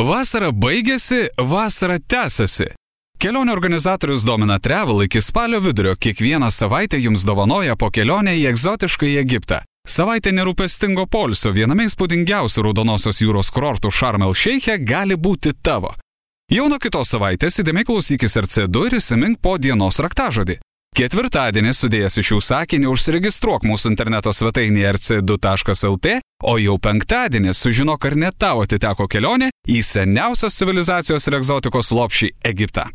Vasara baigėsi, vasara tęsiasi. Kelionių organizatorius Domina Travel iki spalio vidurio kiekvieną savaitę jums dovanoja po kelionę į egzotišką Egiptą. Savaitė nerūpestingo poilsio viename įspūdingiausių Raudonosios jūros kurortų Šarm el Šeiche gali būti tavo. Jau nuo kitos savaitės įdėmiai klausykis RC2 ir įsimink po dienos raktažodį. Ketvirtadienį sudėjęs iš šių sakinį užsiregistruok mūsų interneto svetainėje rc2.lt, o jau penktadienį sužinok, ar net tau atiteko kelionė į seniausios civilizacijos ir egzotikos lopšį Egiptą.